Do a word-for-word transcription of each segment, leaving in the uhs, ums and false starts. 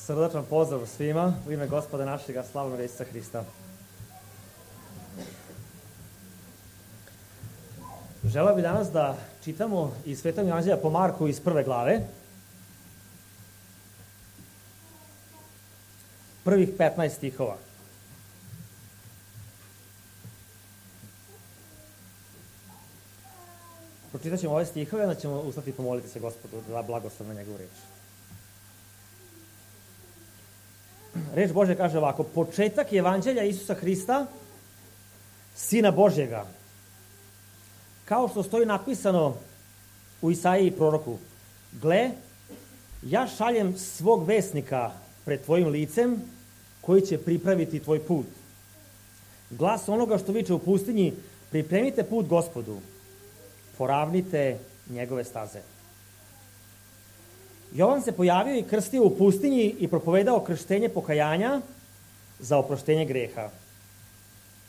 Srdačan pozdrav svima u ime Gospoda našega slavnog Isusa Hrista. Želeo bih danas da čitamo iz Svetog Evanđelja po Marku iz prve glave. Prvih petnaest stihova. Pročitat ćemo ove stihove, onda ćemo ustati i pomoliti se Gospodu da blagoslov na njegovu reč. Reč Božja kaže ovako: početak Evanđelja Isusa Hrista, Sina Božjega, kao što stoji napisano u Isaiji proroku: gle, ja šaljem svog vesnika pred tvojim licem, koji će pripraviti tvoj put. Glas onoga što viče u pustinji: pripremite put Gospodu, poravnite njegove staze. Jovan se pojavio i krstio u pustinji i propovedao krštenje pokajanja za oproštenje greha.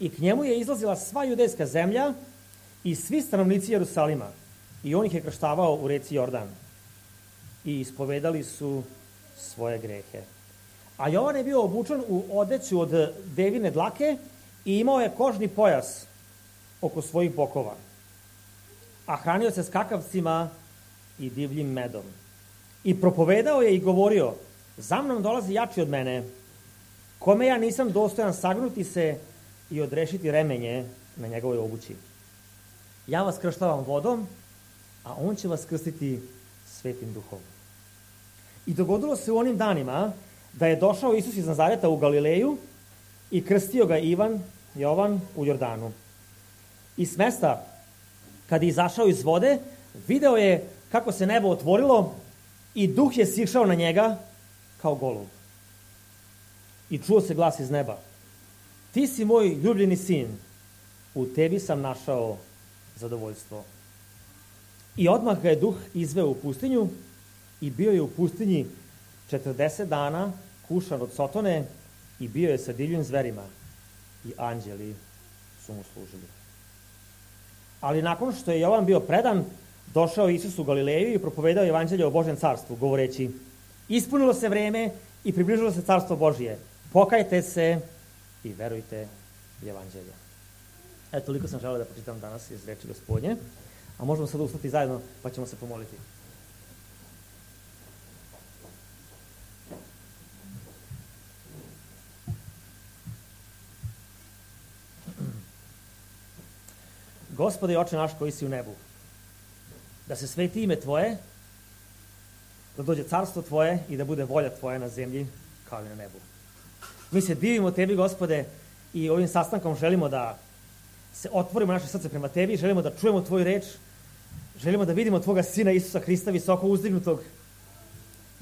I k njemu je izlazila sva judejska zemlja i svi stanovnici Jerusalima, i on ih je krštavao u reci Jordan. I ispovedali su svoje grehe. A Jovan je bio obučen u odeću od devine dlake i imao je kožni pojas oko svojih bokova. A hranio se skakavcima i divljim medom. I propovedao je i govorio: za mnom dolazi jači od mene, kome ja nisam dostojan sagnuti se i odrešiti remenje na njegovoj obući. Ja vas krštavam vodom, a on će vas krstiti Svetim Duhom. I dogodilo se u onim danima da je došao Isus iz Nazareta u Galileju i krstio ga Ivan, Jovan u Jordanu. I s mesta, kad je izašao iz vode, video je kako se nebo otvorilo i Duh je sišao na njega kao golub. I čuo se glas iz neba: ti si moj ljubljeni sin, u tebi sam našao zadovoljstvo. I odmah ga je Duh izveo u pustinju i bio je u pustinji četrdeset dana, kušan od sotone, i bio je sa divljim zverima i anđeli su mu služili. Ali nakon što je Jovan bio predan, došao Isus u Galileju i propovedao evanđelje o Božjem carstvu, govoreći: ispunilo se vreme i približilo se carstvo Božje. Pokajte se i verujte u evanđelje. Eto, toliko sam želeo da pročitam danas iz reči Gospodnje. A možemo sad ustati zajedno pa ćemo se pomoliti. Gospode i Oče naš koji si u nebu, da se sveti ime Tvoje, da dođe carstvo Tvoje i da bude volja Tvoja na zemlji kao i na nebu. Mi se divimo Tebi, Gospode, i ovim sastankom želimo da se otvorimo naše srce prema Tebi, želimo da čujemo Tvoju reč, želimo da vidimo Tvoga Sina Isusa Hrista visoko uzdignutog,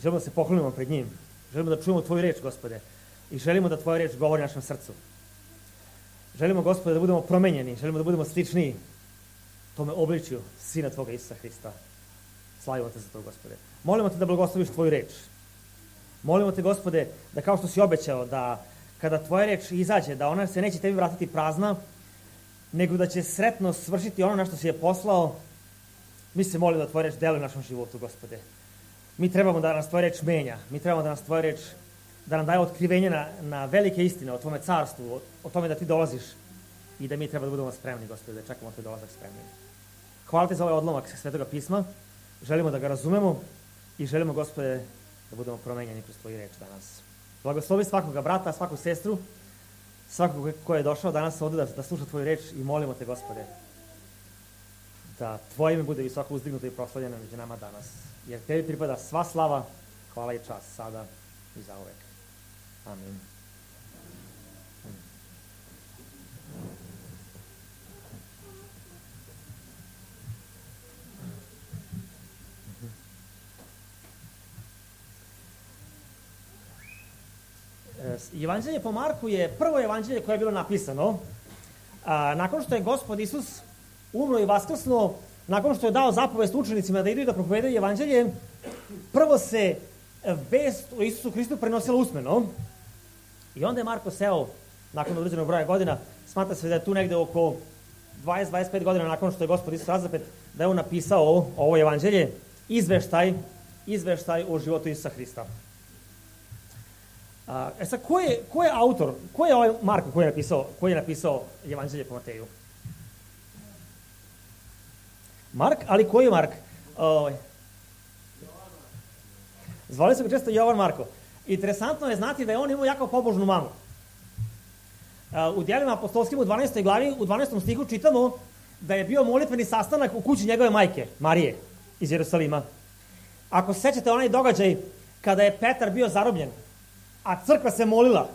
želimo da se poklonimo pred njim, želimo da čujemo Tvoju reč, Gospode, i želimo da Tvoja reč govori našem srcu. Želimo, Gospode, da budemo promenjeni, želimo da budemo slični tome obličju Sina Tvoga Isusa Hrista. Slavimo Te za to, Gospode. Molimo Te da blagosloviš Tvoju reč. Molimo Te, Gospode, da kao što si obećao, da kada Tvoja reč izađe, da ona se neće Tebi vratiti prazna, nego da će sretno svršiti ono na što si je poslao. Mi se molimo da Tvoja reč deluje u našem životu, Gospode. Mi trebamo da nas Tvoja reč menja. Mi trebamo da nas Tvoja reč, da nam daje otkrivenje na, na velike istine o Tvome carstvu, o, o tome da Ti dolaziš i da mi treba da budemo spremni, Gospode, da čekamo Tvoj dolazak spremni. Hvala Ti za ovaj odlomak Svetoga pisma. Želimo da ga razumemo i želimo, Gospode, da budemo promenjeni kroz Tvoju reč danas. Blagoslovi svakoga brata, svaku sestru, svakog ko je došao danas ovde da, da sluša Tvoju reč, i molimo Te, Gospode, da Tvoje ime bude visoko uzdignuto i proslavljeno među nama danas. Jer Tebi pripada sva slava, hvala i čast, sada i zauvek. Amin. Evanđelje po Marku je prvo evanđelje koje je bilo napisano a, nakon što je Gospod Isus umro i vaskrsnuo, nakon što je dao zapovest učenicima da idu i da propovedaju evanđelje. Prvo se vest o Isusu Hristu prenosila usmeno i onda je Marko seo nakon određenog broja godina, smatra se da je tu negde oko dvadeset do dvadeset pet godina nakon što je Gospod Isus razapet, da je on napisao ovo evanđelje, izveštaj, izveštaj o životu Isusa Hrista. A, e sad, ko je, ko je autor, ko je ovaj Marko koji je napisao, koji je napisao Evanđelje po Mateju? Mark, ali koji je Mark? O, zvali su ga često Jovan Marko. Interesantno je znati da je on imao jako pobožnu mamu. U djelima apostolskim u dvanaestoj glavi, u dvanaestom stihu čitamo da je bio molitveni sastanak u kući njegove majke, Marije, iz Jerusalima. Ako se sećate onaj događaj kada je Petar bio zarobljen, a crkva se molila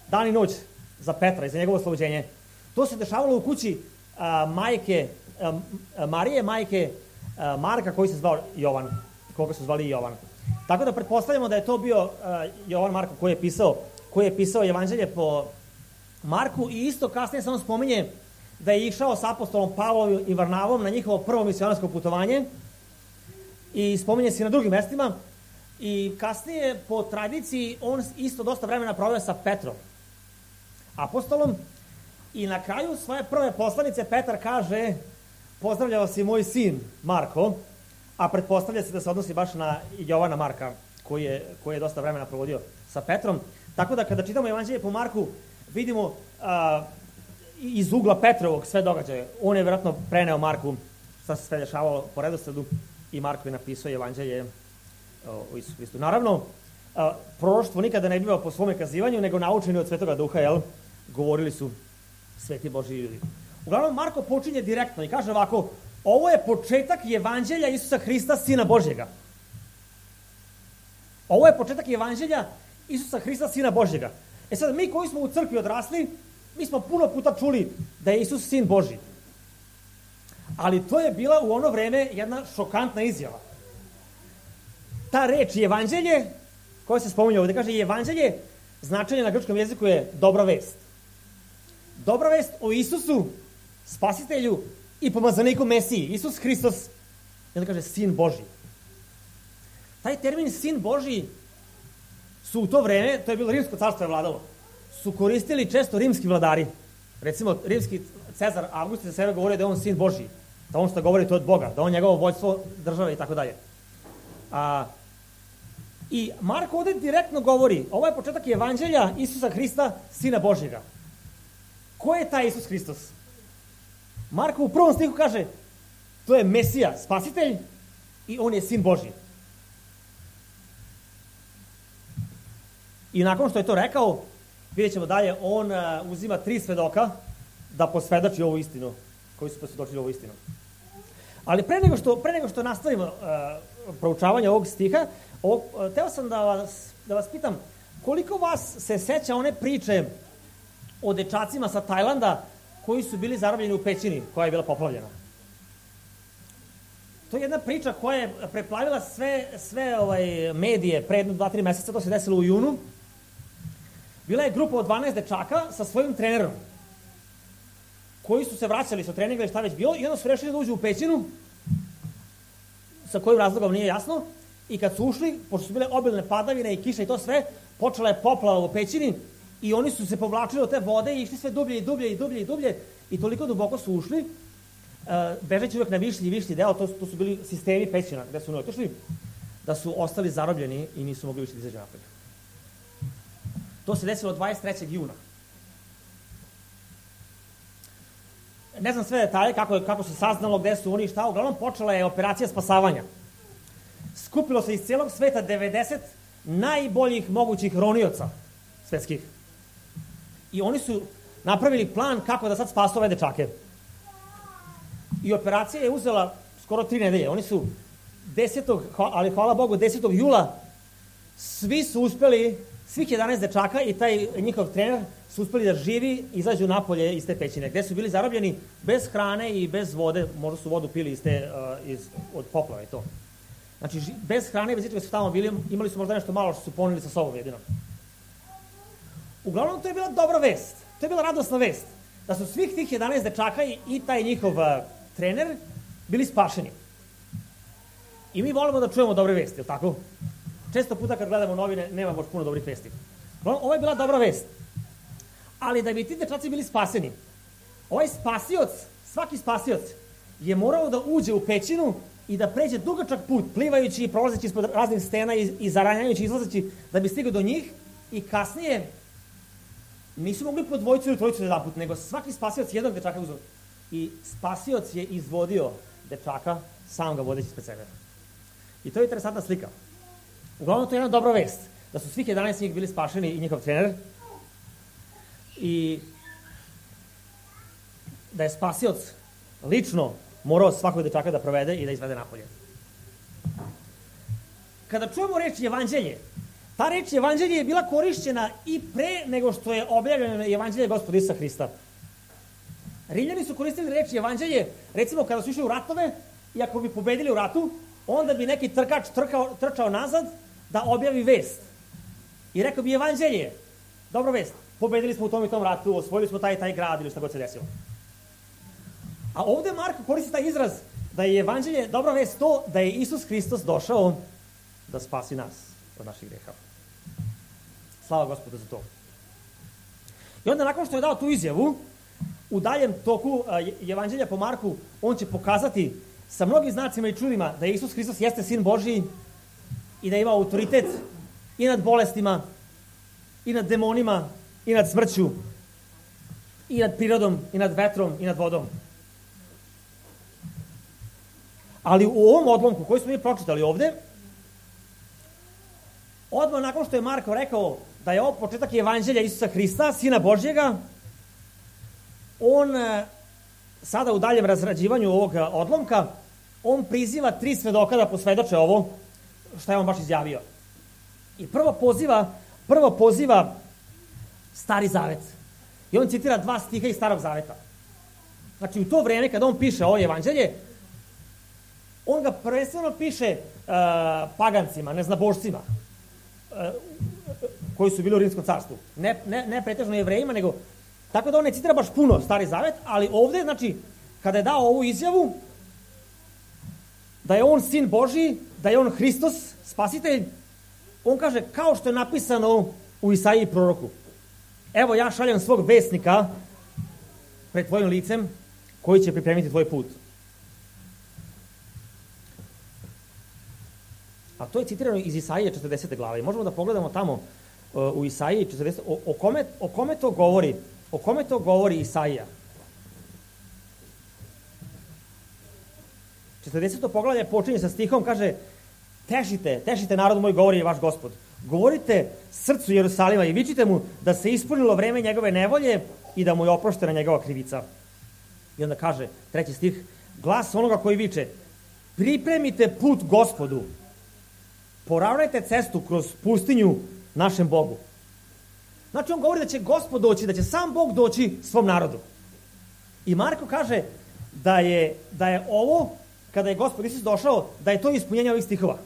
dan i noć za Petra i za njegovo oslobođenje, to se dešavalo u kući a, majke a, Marije, majke a, Marka, koji se zvao Jovan, koga su zvali Jovan. Tako da pretpostavljamo da je to bio a, Jovan Marko koji je pisao, koji je pisao Evanđelje po Marku, i isto kasnije se on spominje da je išao sa apostolom Pavlom i Varnavom na njihovo prvo misionarsko putovanje i spominje se i na drugim mestima, i kasnije po tradiciji on isto dosta vremena proveo sa Petrom, apostolom, i na kraju svoje prve poslanice Petar kaže: pozdravljao si moj sin Marko, a pretpostavlja se da se odnosi baš na Jovana Marka koji je, koji je dosta vremena provodio sa Petrom. Tako da kada čitamo Evanđelje po Marku vidimo a, iz ugla Petrovog sve događaje. On je vjerojatno preneo Marku šta se sve dešavalo po redosledu i Marko je napisao Evanđelje o Isusu Hristu. Naravno, a, proroštvo nikada ne biva po svome kazivanju, nego naučeni od Svetoga Duha, jel? Govorili su sveti Božji ljudi. Uglavnom, Marko počinje direktno i kaže ovako: ovo je početak Evanđelja Isusa Hrista, Sina Božjega. Ovo je početak Evanđelja Isusa Hrista, Sina Božjega. E sad, mi koji smo u crkvi odrasli, mi smo puno puta čuli da je Isus Sin Božji. Ali to je bila u ono vreme jedna šokantna izjava. Ta reč Evanđelje, koja se spominje ovdje, kaže Evanđelje, značenje na grčkom jeziku je dobra vest. Dobra vest o Isusu, Spasitelju i pomazaniku Mesiji, Isus Hristos, i onda kaže Sin Božji. Taj termin Sin Božji su u to vreme, to je bilo rimsko carstvo je vladalo, su koristili često rimski vladari. Recimo, rimski Cezar August za sebe govorio da je on Sin Božji, da on što govori to od Boga, da on njegovo vođstvo države i tako dalje. A, I Marko ovdje direktno govori, ovo je početak Evanđelja Isusa Hrista, Sina Božjega. Ko je taj Isus Hristos? Marko u prvom stihu kaže, to je Mesija, Spasitelj, i on je Sin Božji. I nakon što je to rekao, vidjet ćemo dalje, on uh, uzima tri svedoka da posvedoči ovu istinu, koji su posvedočili ovu istinu. Ali pre nego što, pre nego što nastavimo uh, proučavanje ovog stiha, ovog, uh, teo sam da vas, da vas pitam, koliko vas se seća one priče o dečacima sa Tajlanda koji su bili zarobljeni u pećini koja je bila poplavljena? To je jedna priča koja je preplavila sve, sve ovaj, medije pre jedno, dva, tri meseca, to se desilo u junu. Bila je grupa od dvanaest dečaka sa svojim trenerom koji su se vraćali sa treninga ili šta već bilo i onda su rešili da uđu u pećinu, sa kojim razlogom nije jasno, i kad su ušli, pošto su bile obilne padavine i kiša i to sve, počela je poplava u pećini i oni su se povlačili od te vode i išli sve dublje i dublje i dublje i dublje i toliko duboko su ušli, uh, bežeći uvek na višlji i višlji deo, to, to su bili sistemi pećina gde su oni otišli, da su ostali zarobljeni i nisu mogli više da izađu napolje. To se desilo dvadeset trećeg juna. Ne znam sve detalje, kako, kako se saznalo, gde su oni i šta, uglavnom počela je operacija spasavanja. Skupilo se iz cijelog sveta devedeset najboljih mogućih ronioca svetskih. I oni su napravili plan kako da sad spasu ove dečake. I operacija je uzela skoro tri nedelje. Oni su desetog, ali hvala Bogu, desetog jula svi su uspeli, svih jedanaest dečaka i taj njihov trener su uspeli da živi izađu napolje iz te pećine, gde su bili zarobljeni bez hrane i bez vode, možda su vodu pili iz te, uh, iz, od poplave i to. Znači, bez hrane i bez ičega su tamo bili, imali su možda nešto malo što su poneli sa sobom jedino. Uglavnom, to je bila dobra vest, to je bila radosna vest, da su svih tih jedanaest dečaka i, i taj njihov uh, trener bili spašeni. I mi volimo da čujemo dobre vesti, je li tako? Često puta kad gledamo novine, nema baš puno dobrih vesti. Ovo je bila dobra vest. Ali da bi ti dečaci bili spaseni, ovaj spasioc, svaki spasioc, je morao da uđe u pećinu i da pređe dugačak put, plivajući i prolazeći ispod raznih stena i, i zaranjajući, izlazeći, da bi stigao do njih I kasnije nisu mogli po dvojicu ili trojicu jedan put, nego svaki spasioc jednog dečaka uzeo. I spasioc je izvodio dečaka, sam ga vodeći ispred sebe. I to je interesantna slika. Uglavnom, to je jedna dobra vest, da su svih jedanaest njih bili spašeni i njihov trener. I da je spasioc lično morao svakog dečaka da provede i da izvede napolje. Kada čujemo reč evanđelje, ta reč evanđelje je bila korišćena i pre nego što je objavljeno evanđelje Gospoda Isusa Hrista. Rimljani su koristili reč evanđelje, recimo kada su išli u ratove i ako bi pobedili u ratu, onda bi neki trkač trkao, trčao nazad da objavi vest. I rekao bi evanđelje, dobra vest, pobedili smo u tom i tom ratu, osvojili smo taj i taj grad ili šta god se desilo. A ovde Marko koristi taj izraz da je evanđelje dobra vest to da je Isus Hristos došao da spasi nas od naših greha. Slava Gospodu za to. I onda nakon što je dao tu izjavu, u daljem toku evanđelja po Marku, on će pokazati sa mnogim znacima i čudima da Isus Hristos jeste Sin Božiji i da ima autoritet i nad bolestima, i nad demonima, i nad smrću, i nad prirodom, i nad vetrom, i nad vodom. Ali u ovom odlomku koji smo mi pročitali ovde, odmah nakon što je Marko rekao da je ovo početak evanđelja Isusa Hrista, Sina Božjega, on sada u daljem razrađivanju ovog odlomka, on priziva tri svedoka da posvedoče ovo šta je on baš izjavio. I prvo poziva, prvo poziva Stari Zavet. I on citira dva stiha iz Starog Zaveta. Znači u to vreme kada on piše ovo evanđelje, on ga prvenstveno piše uh, pagancima, neznabošcima, uh, koji su bili u Rimskom carstvu. Ne, ne, ne pretežno Jevrejima, nego tako da on ne citira baš puno Stari Zavet, ali ovde, znači, kada je dao ovu izjavu, da je on Sin Božiji, da je on Hristos, spasitelj, on kaže, kao što je napisano u Isaiji proroku. Evo, ja šaljem svog vesnika pred tvojim licem, koji će pripremiti tvoj put. A to je citirano iz Isaije četrdesete glave. I možemo da pogledamo tamo uh, u Isaiji četrdesete. O, o, kome, o kome to govori? O kome to govori Isaija? četrdeseto poglavlje počinje sa stihom, kaže, tešite, tešite narod moj, govori je vaš Gospod. Govorite srcu Jerusalima i vičite mu da se ispunilo vreme njegove nevolje i da mu je oproštena njegova krivica. I onda kaže, treći stih, glas onoga koji viče, pripremite put Gospodu, poravnajte cestu kroz pustinju našem Bogu. Znači on govori da će Gospod doći, da će sam Bog doći svom narodu. I Marko kaže da je, da je ovo, kada je Gospod Isus došao, da je to ispunjenje ovih stihova.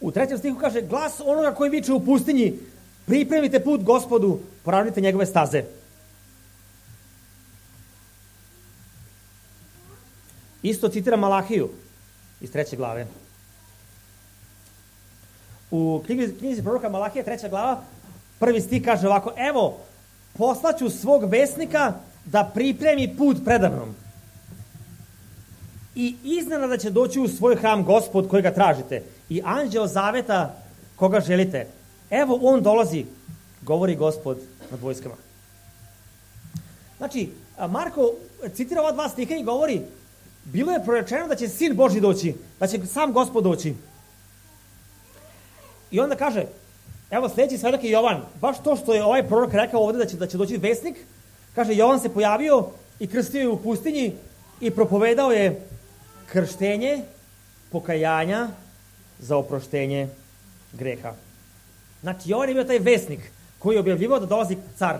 U trećem stihu kaže, glas onoga koji viče u pustinji, pripremite put Gospodu, poravnajte njegove staze. Isto citira Malahiju iz treće glave. U knjizi, knjizi proroka Malahije, treća glava, prvi stih kaže ovako, evo, poslaću svog vesnika da pripremi put predamnom. I iznenada će doći u svoj hram Gospod kojega tražite i anđeo zaveta koga želite. Evo on dolazi, govori Gospod nad vojskama. Znači, Marko citira ova dva stiha i govori, bilo je prorečeno da će Sin Božji doći, da će sam Gospod doći. I onda kaže, evo sljedeći svedok je Jovan, baš to što je ovaj prorok rekao ovde da će, da će doći vesnik, kaže, Jovan se pojavio i krstio je u pustinji i propovedao je krštenje, pokajanja za oproštenje greha. Znači, Jovan je bio taj vesnik koji je objavljivao da dolazi car.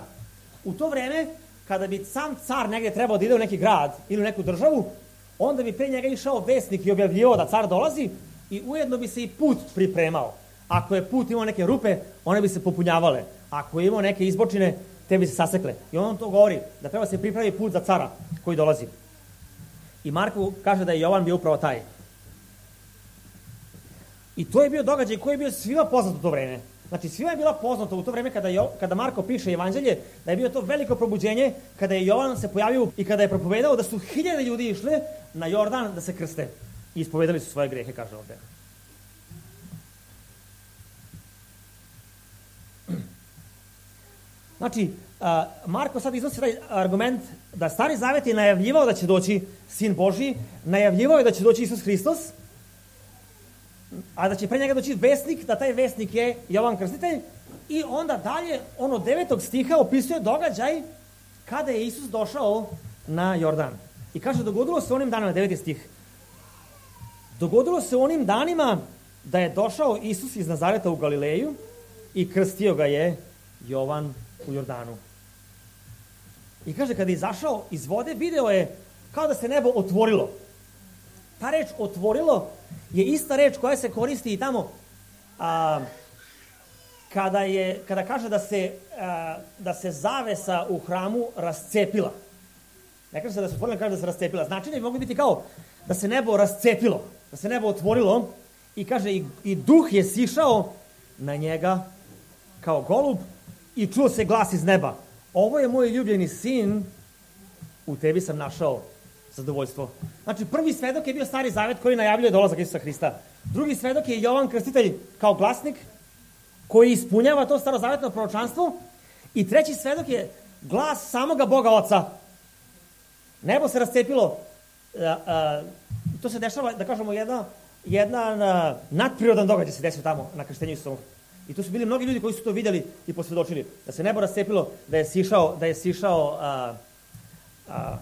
U to vreme, kada bi sam car negdje trebao da ide u neki grad ili u neku državu, onda bi pre njega išao vesnik i objavljivao da car dolazi i ujedno bi se i put pripremao. Ako je put imao neke rupe, one bi se popunjavale. Ako je imao neke izbočine, te bi se sasekle. I on to govori, da treba se pripravi put za cara koji dolazi. I Marko kaže da je Jovan bio upravo taj. I to je bio događaj koji je bio svima poznat u to vreme. Znači, svima je bila poznato u to vreme kada, jo, kada Marko piše evanđelje, da je bio to veliko probuđenje, kada je Jovan se pojavio i kada je propovedao da su hiljade ljudi išle na Jordan da se krste. I ispovedali su svoje grehe, kaže ovde. Znači, Marko sad iznosi taj argument da Stari Zavet je najavljivao da će doći Sin Božji, najavljivao je da će doći Isus Hristos, a da će pre njega doći vesnik, da taj vesnik je Jovan Krstitelj, i onda dalje, ono devetog stiha opisuje događaj kada je Isus došao na Jordan. I kaže, dogodilo se onim danima, deveti stih, dogodilo se onim danima da je došao Isus iz Nazareta u Galileju i krstio ga je Jovan u Jordanu. I kaže, kada je izašao iz vode, video je kao da se nebo otvorilo. Ta reč otvorilo je ista reč koja se koristi i tamo a, kada, je, kada kaže da se, a, da se zavesa u hramu rascepila. Ne kaže se da se otvorila, kaže da se rascepila. Značenje bi mogli biti kao da se nebo rascepilo, da se nebo otvorilo, i kaže i, i duh je sišao na njega kao golub i čuo se glas iz neba. Ovo je moj ljubljeni sin, u tebi sam našao zadovoljstvo. Znači, prvi svedok je bio Stari Zavet koji najavljuje dolazak Isusa Hrista. Drugi svedok je Jovan Krstitelj kao glasnik koji ispunjava to starozavetno proročanstvo. I treći svedok je glas samoga Boga Oca. Nebo se rascepilo. A, a, to se dešava, da kažemo, jedna, jedan a, nadprirodan događaj se desio tamo na krštenju Isusa. I tu su bili mnogi ljudi koji su to vidjeli i posvjedočili. Da se nebo rascepilo, da je sišao, da je sišao a, a,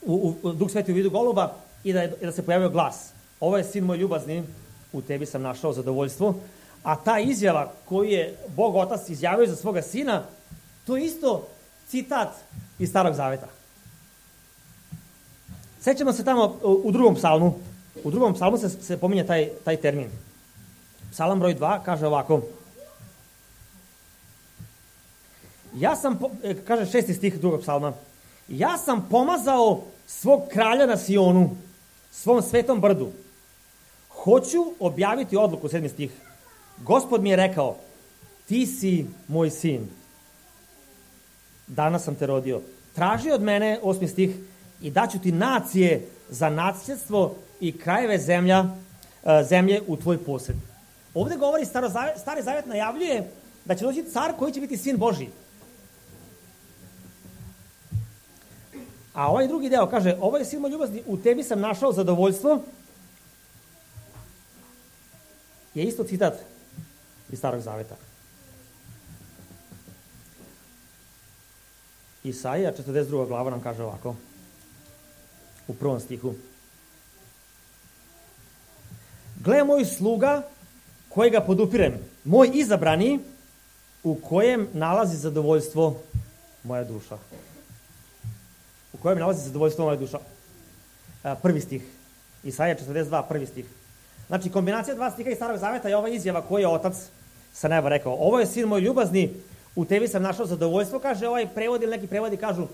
u, u Duh Sveti u vidu goluba i da, je, i da se pojavio glas. Ovo je sin moj ljubazni, u tebi sam našao zadovoljstvo. A ta izjava koju je Bog Otac izjavio za svoga sina, to je isto citat iz Starog Zaveta. Sećamo se tamo u drugom psalmu. U drugom psalmu se, se pominje taj, taj termin. Psalam broj dva kaže ovako. Ja sam, kaže šesti stih drugog psalma, ja sam pomazao svog kralja na Sionu, svom svetom brdu. Hoću objaviti odluku, sedmi stih. Gospod mi je rekao, ti si moj sin. Danas sam te rodio. Traži od mene, osmi stih, i daću ti nacije za nasljedstvo i krajeve zemlja, zemlje u tvoj posjed. Ovdje govori Stari Zavet najavljuje da će doći car koji će biti sin Božji. A ovaj drugi deo kaže, ovo je sin moj ljubazni, u tebi sam našao zadovoljstvo, je isto citat iz Starog Zaveta. Isaija četrdeset druga glava nam kaže ovako, u prvom stihu. Gle moj sluga kojega podupirem, moj izabrani, u kojem nalazi zadovoljstvo moja duša. U kojem nalazi zadovoljstvo moja duša. Prvi stih. Isaija četrdeset dva, prvi stih. Znači, kombinacija dva stiha iz Starog Zaveta je ova izjava koju je Otac sa neba rekao. Ovo je sin moj ljubazni, u tebi sam našao zadovoljstvo, kaže ovaj prevod, ili neki prevodi kažu,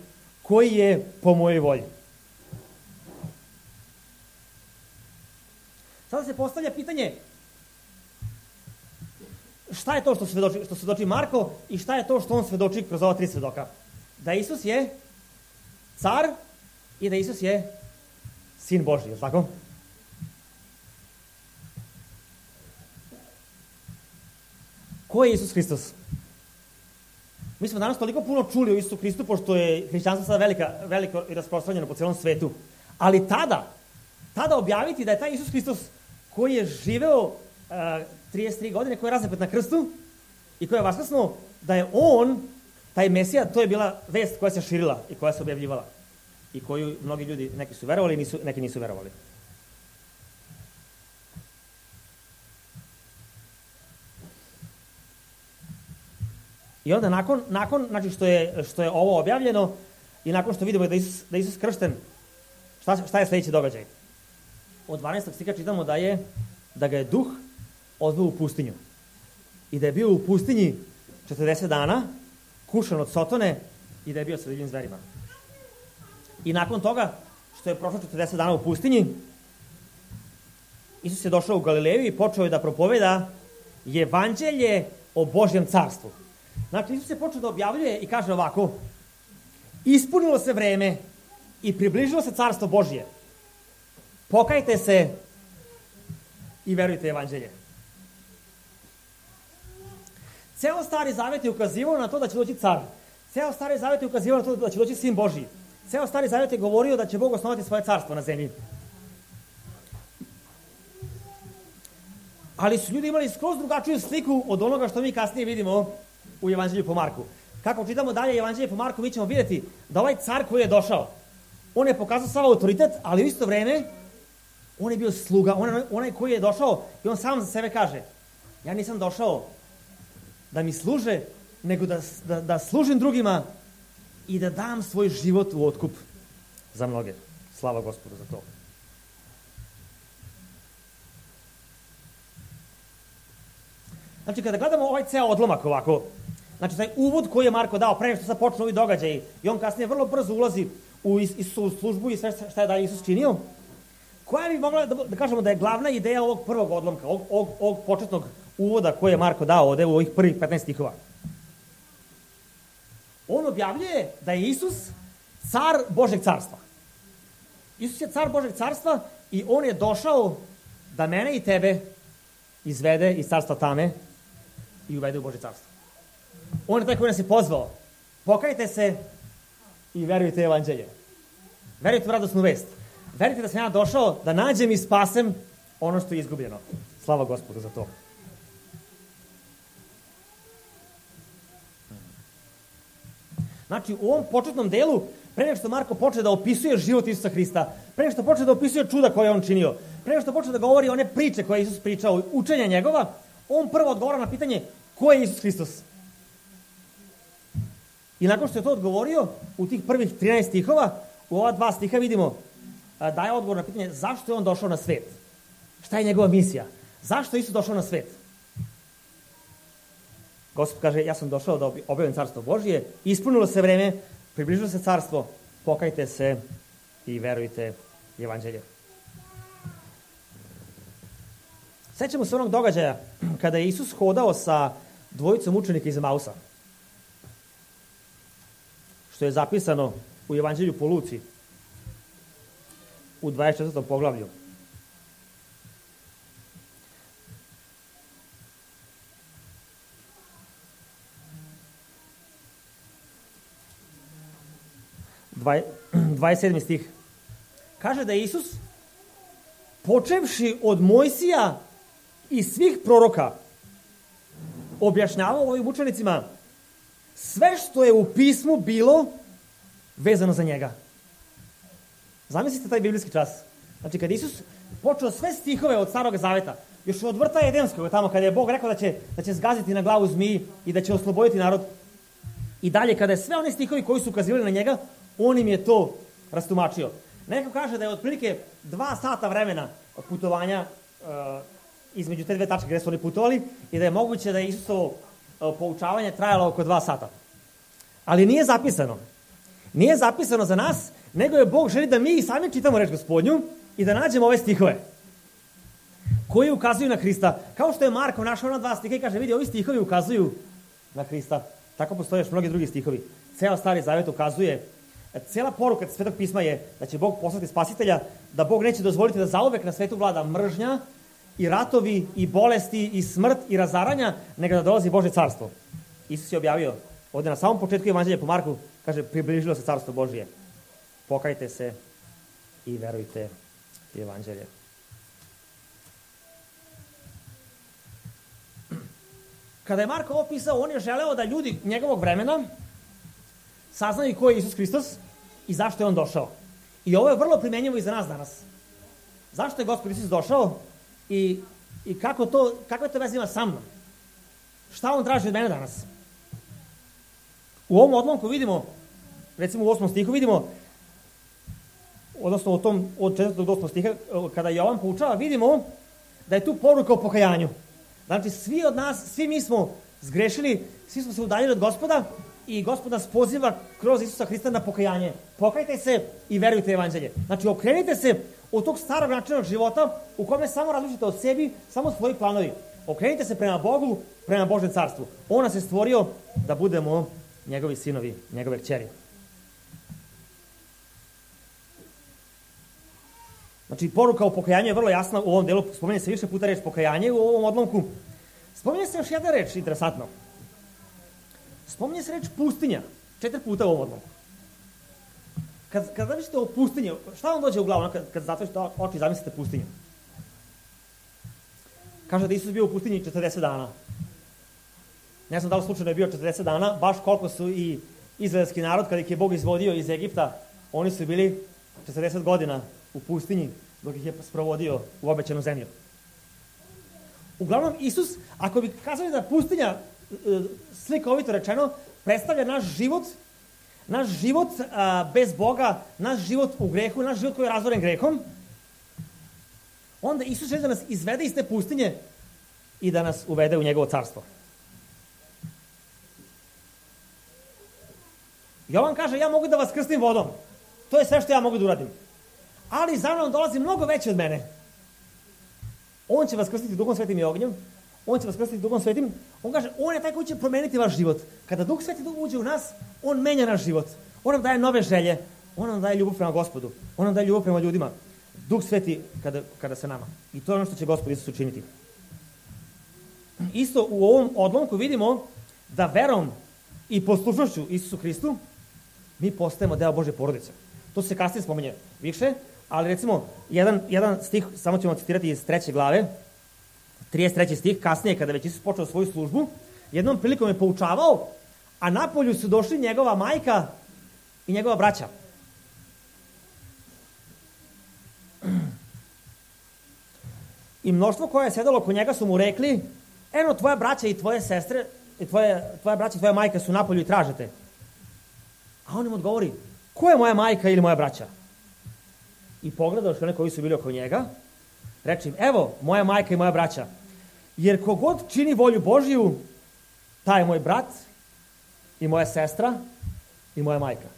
koji je po mojoj volji. Sada se postavlja pitanje, šta je to što svedoči, što svedoči Marko i šta je to što on svedoči kroz ova tri svedoka? Da Isus je car i da Isus je sin Božji, je li tako? Ko je Isus Hristos? Mi smo danas toliko puno čuli o Isusu Hristu, pošto je hrišćanstvo sada velika, veliko i rasprostranjeno po celom svetu. Ali tada, tada objaviti da je taj Isus Hristos koji je živeo uh, trideset tri godine, koji je razapet na krstu i koji je vaskrsnuo, da je on, taj Mesija, to je bila vest koja se širila i koja se objavljivala. I koju mnogi ljudi, neki su verovali, nisu, neki nisu verovali. I onda nakon, nakon znači što je, što je ovo objavljeno i nakon što vidimo da Isus, da Isus kršten, šta, šta je sljedeći događaj? Od dvanaestog stiha čitamo da je da ga je duh odveo u pustinju. I da je bio u pustinji četrdeset dana, kušan od sotone i da je bio sa divljim zverima. I nakon toga, što je prošlo četrdeset dana u pustinji, Isus je došao u Galileju i počeo je da propoveda evanđelje o Božjem carstvu. Znači, Isus je počeo da objavljuje i kaže ovako, ispunilo se vreme i približilo se carstvo Božje. Pokajte se i verujte evanđelje. Ceo Stari Zavet je ukazivao na to da će doći car. Ceo Stari Zavet je ukazivao na to da će doći Sin Božji. Ceo Stari Zavet je govorio da će Bog osnovati svoje carstvo na zemlji. Ali su ljudi imali skroz drugačiju sliku od onoga što mi kasnije vidimo u Evanđelju po Marku. Kako čitamo dalje Evanđelje po Marku, mi ćemo vidjeti da ovaj car koji je došao, on je pokazao sav autoritet, ali u isto vreme on je bio sluga, on, onaj koji je došao i on sam za sebe kaže, ja nisam došao da mi služe, nego da, da, da služim drugima i da dam svoj život u otkup za mnoge. Slava Gospodu za to. Znači, kada gledamo ovaj ceo odlomak ovako, znači, taj uvod koji je Marko dao pre nego što sad počnu ovi događaji i on kasnije vrlo brzo ulazi u Isusovu službu i sve šta je da Isus činio, koja bi mogla da, da kažemo da je glavna ideja ovog prvog odlomka, ovog, ovog, ovog početnog uvoda koji je Marko dao ovde u ovih prvih petnaest stihova. On objavljuje da je Isus car Božeg carstva. Isus je car Božeg carstva i on je došao da mene i tebe izvede iz carstva tame i uvede u Božje carstvo. On je taj koji nas je pozvao. Pokajte se i verujte evanđelje. Verujte u radosnu vest. Verujte da sam ja došao da nađem i spasem ono što je izgubljeno. Slava Gospodu za to. Znači, u ovom početnom delu, pre nego što Marko počne da opisuje život Isusa Hrista, pre nego što počne da opisuje čuda koje on činio, pre nego što počne da govori one priče koje je Isus pričao, učenja njegova, on prvo odgovara na pitanje ko je Isus Hristos. I nakon što je to odgovorio, u tih prvih trinaest stihova, u ova dva stiha vidimo daje odgovor na pitanje zašto je on došao na svet. Šta je njegova misija? Zašto je Isus došao na svet? Gospod kaže, ja sam došao da objavim carstvo Božije, ispunilo se vreme, približilo se carstvo, pokajte se i verujte evanđelje. Sećamo se onog događaja kada je Isus hodao sa dvojicom učenika iz Emausa, što je zapisano u Evanđelju po Luci, u dvadeset četvrtom poglavlju. dvadeset sedmi stih. Kaže da je Isus, počevši od Mojsija i svih proroka, objašnjavao ovim učenicima sve što je u pismu bilo vezano za njega. Zamislite taj biblijski čas. Znači, kad Isus počeo sve stihove od Starog Zaveta, još od vrta Edenskog, tamo kada je Bog rekao da će, da će zgaziti na glavu zmiji i da će osloboditi narod, i dalje, kada je sve one stihovi koji su ukazivali na njega, on im je to rastumačio. Neko kaže da je otprilike dva sata vremena od putovanja uh, između te dve tačke gde su oni putovali i da je moguće da je Isusovo uh, poučavanje trajalo oko dva sata. Ali nije zapisano. Nije zapisano za nas, nego je Bog želi da mi sami čitamo reč Gospodnju i da nađemo ove stihove koji ukazuju na Hrista. Kao što je Marko našao na dva stiha i kaže, vidi, ovi stihovi ukazuju na Hrista. Tako postoje još mnogi drugi stihovi. Ceo Stari Zavet ukazuje, cela poruka Svetog pisma je da će Bog poslati spasitelja, da Bog neće dozvoliti da zauvek na svetu vlada mržnja i ratovi i bolesti i smrt i razaranja, nego da dolazi Božje carstvo. Isus je objavio ovde na samom početku Evanđelja po Marku, kaže, približilo se carstvo Božje. Pokajte se i verujte u Evanđelje. Kada je Marko ovo pisao, on je želeo da ljudi njegovog vremena saznaju ko je Isus Hristos i zašto je on došao. I ovo je vrlo primenjivo i za nas danas. Zašto je Gospod Isus došao i, i kako to, kakve to veze ima sa mnom? Šta on traži od mene danas? U ovom odlomku vidimo, recimo u osmom stihu vidimo, odnosno u tom, od četvrtog do osmog stiha, kada Jovan poučava, vidimo da je tu poruka o pokajanju. Znači, svi od nas, svi mi smo zgrešili, svi smo se udaljili od Gospoda i Gospod nas poziva kroz Isusa Hrista na pokajanje. Pokajte se i verujte evanđelje. Znači, okrenite se od tog starog načina života u kome samo različite od sebi, samo svoji planovi. Okrenite se prema Bogu, prema Božjem carstvu. On nas je stvorio da budemo njegovi sinovi, njegove kćeri. Znači, poruka o pokajanju je vrlo jasna u ovom delu. Spominje se više puta reč pokajanje u ovom odlomku. Spominje se još jedna reč, interesantno. spominje se reč pustinja. Četiri puta u ovom odlomku. Kad, kad zamislite o pustinji, šta vam dođe u glavu kad, kad zatvorite oči i zamislite pustinju? Kaže da Isus bio u pustinji četrdeset dana. Ne znam da li slučajno je bio četrdeset dana, baš koliko su i izraelski narod, kada ih je Bog izvodio iz Egipta, oni su bili četrdeset godina u pustinji, dok ih je sprovodio u obećanu zemlju. Uglavnom, Isus, ako bi kazali da pustinja, slikovito rečeno, predstavlja naš život, naš život a, bez Boga, naš život u grehu, naš život koji je razvoren grehom, onda Isus želi da nas izvede iz te pustinje i da nas uvede u njegovo carstvo. Jovan kaže, ja mogu da vas krstim vodom. To je sve što ja mogu da uradim. Ali za mnom dolazi mnogo veće od mene. On će vas krstiti Duhom Svetim i ognjem. On će vas krstiti Duhom Svetim. On kaže, on je taj koji će promeniti vaš život. Kada Duh Sveti uđe u nas, on menja naš život. On nam daje nove želje. On nam daje ljubav prema Gospodu. On nam daje ljubav prema ljudima. Duh Sveti kada, kada se nama. I to je ono što će Gospod Isus učiniti. Isto u ovom odlomku vidimo da verom i poslušnošću Isusu Hristu mi postajemo deo Božje porodice. To se kasnije spominje više, ali recimo jedan, jedan stih, samo ćemo citirati iz treće glave, trideset treći stih, kasnije kada već Isus počeo svoju službu, jednom prilikom je poučavao, a napolju su došli njegova majka i njegova braća. I mnoštvo koje je sedalo oko njega su mu rekli, eno tvoja braća i tvoje sestre, i tvoje, tvoja braća i tvoja majka su napolju i tražete. A on im odgovori, ko je moja majka ili moja braća? I pogledao što one koji su bili oko njega, reče im, evo, moja majka i moja braća. Jer kogod čini volju Božiju, taj je moj brat i moja sestra i moja majka.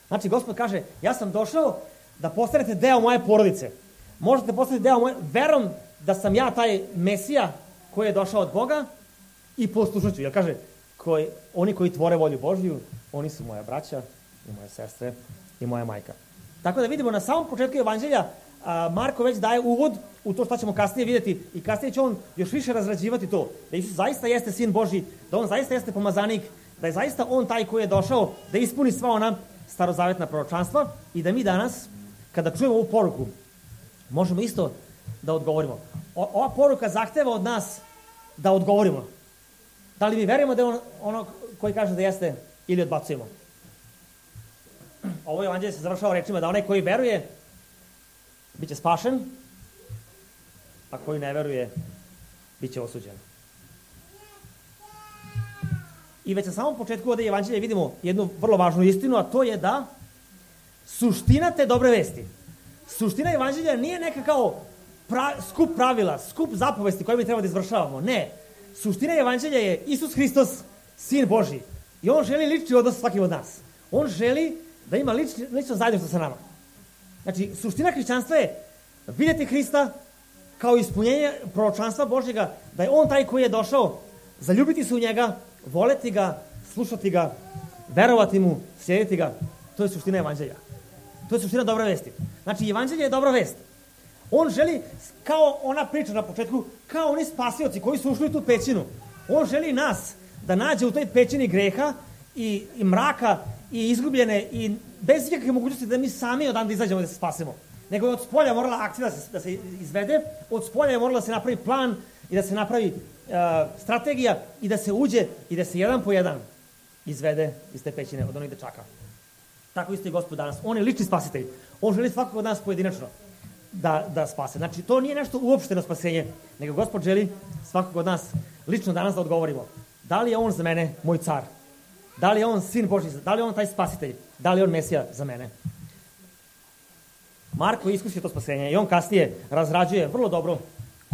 Znači, Gospod kaže, ja sam došao da postanete deo moje porodice. Možete postati deo moje, verom da sam ja taj Mesija koji je došao od Boga i poslušat jer kaže, koji, oni koji tvore volju Božju, oni su moja braća i moje sestre i moja majka. Tako da vidimo na samom početku evanđelja, a, Marko već daje uvod u to što ćemo kasnije vidjeti i kasnije će on još više razrađivati to, da Isus zaista jeste sin Božji, da on zaista jeste pomazanik, da je zaista on taj koji je došao da ispuni sva ona starozavetna proročanstva i da mi danas, kada čujemo ovu poruku, možemo isto da odgovorimo. O, ova poruka zahteva od nas da odgovorimo. Da li mi verujemo da je on ono koji kaže da jeste ili odbacujemo? Ovo evanđelje se završava rečima da onaj koji veruje bit će spašen, a koji ne veruje bit će osuđen. I već na samom početku ovdje evanđelja vidimo jednu vrlo važnu istinu, a to je da suština te dobre vesti, suština evanđelja nije neka kao pra, skup pravila, skup zapovesti koje mi treba da izvršavamo. Ne. Suština evanđelja je Isus Hristos, sin Božji. I on želi lični odnos svakim od nas. On želi da ima lični, lično zajedništvo sa nama. Znači, suština hrišćanstva je vidjeti Hrista kao ispunjenje proročanstva Božjega, da je on taj koji je došao, zaljubiti se u njega, voleti ga, slušati ga, verovati mu, slijediti ga. To je suština evanđelja. To je suština dobre vesti. Znači, evanđelje je dobra vest. On želi, kao ona priča na početku, kao oni spasioci koji su ušli u tu pećinu. On želi nas da nađe u toj pećini greha i, i mraka i izgubljene i bez ikakve mogućnosti da mi sami odande izađemo i da se spasemo. Nego je od spolja morala akcija da se, da se izvede, od spolja je morala da se napravi plan i da se napravi uh, strategija i da se uđe i da se jedan po jedan izvede iz te pećine od onih dečaka. Tako isto je Gospod danas. On je lični spasitelj. On želi svakog od nas pojedinačno da, da spase. Znači, to nije nešto uopšteno spasenje, nego Gospod želi svakog od nas lično danas da odgovorimo. Da li je on za mene moj car? Da li je on sin Božji? Da li je on taj spasitelj? Da li je on Mesija za mene? Marko iskusio to spasenje i on kasnije razrađuje vrlo dobro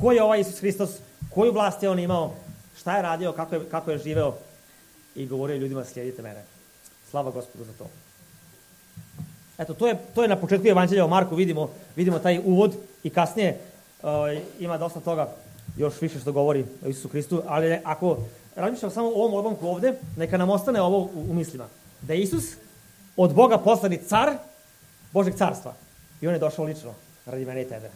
ko je ovaj Isus Hristos, koju vlast je on imao, šta je radio, kako je, kako je živeo i govorio ljudima slijedite mene. Slava Gospodu za to. Eto, to je, to je na početku evanđelja o Marku, vidimo, vidimo taj uvod i kasnije uh, ima dosta toga još više što govori o Isusu Hristu, ali ako razmišljamo samo o ovom odlomku ovde, neka nam ostane ovo u, u mislima. Da je Isus od Boga poslani car Božeg carstva i on je došao lično radi mene i tebe.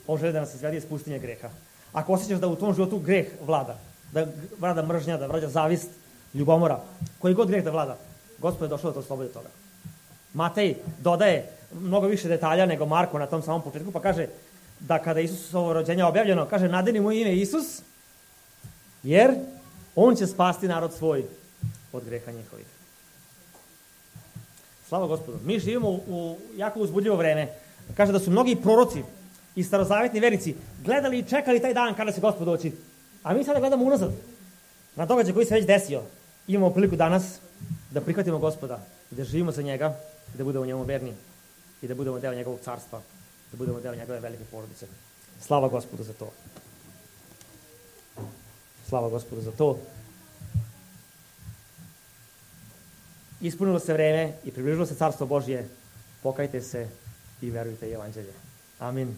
On želi da nas izvedi iz pustinje greha. Ako osjećaš da u tom životu greh vlada, da vlada mržnja, da vlada zavist, ljubomora, koji god greh da vlada, Gospod je došao da te oslobodi toga. Matej dodaje mnogo više detalja nego Marko na tom samom početku, pa kaže da kada je Isusovo rođenje objavljeno, kaže nadeni mu ime Isus, jer on će spasti narod svoj od greha njihovih. Slava Gospodu. Mi živimo u, u jako uzbudljivo vreme. Kaže da su mnogi proroci i starozavetni vernici gledali i čekali taj dan kada će Gospod doći. A mi sada gledamo unazad na događaj koji se već desio. Imamo priliku danas da prihvatimo Gospoda i da živimo za njega i da budemo njemu verni i da budemo deo njegovog carstva, da budemo deo njegove velike porodice. Slava Gospodu za to. Slava Gospodu za to. Ispunilo se vreme i približilo se carstvo Božje. Pokajte se i verujte evanđelje. Amin.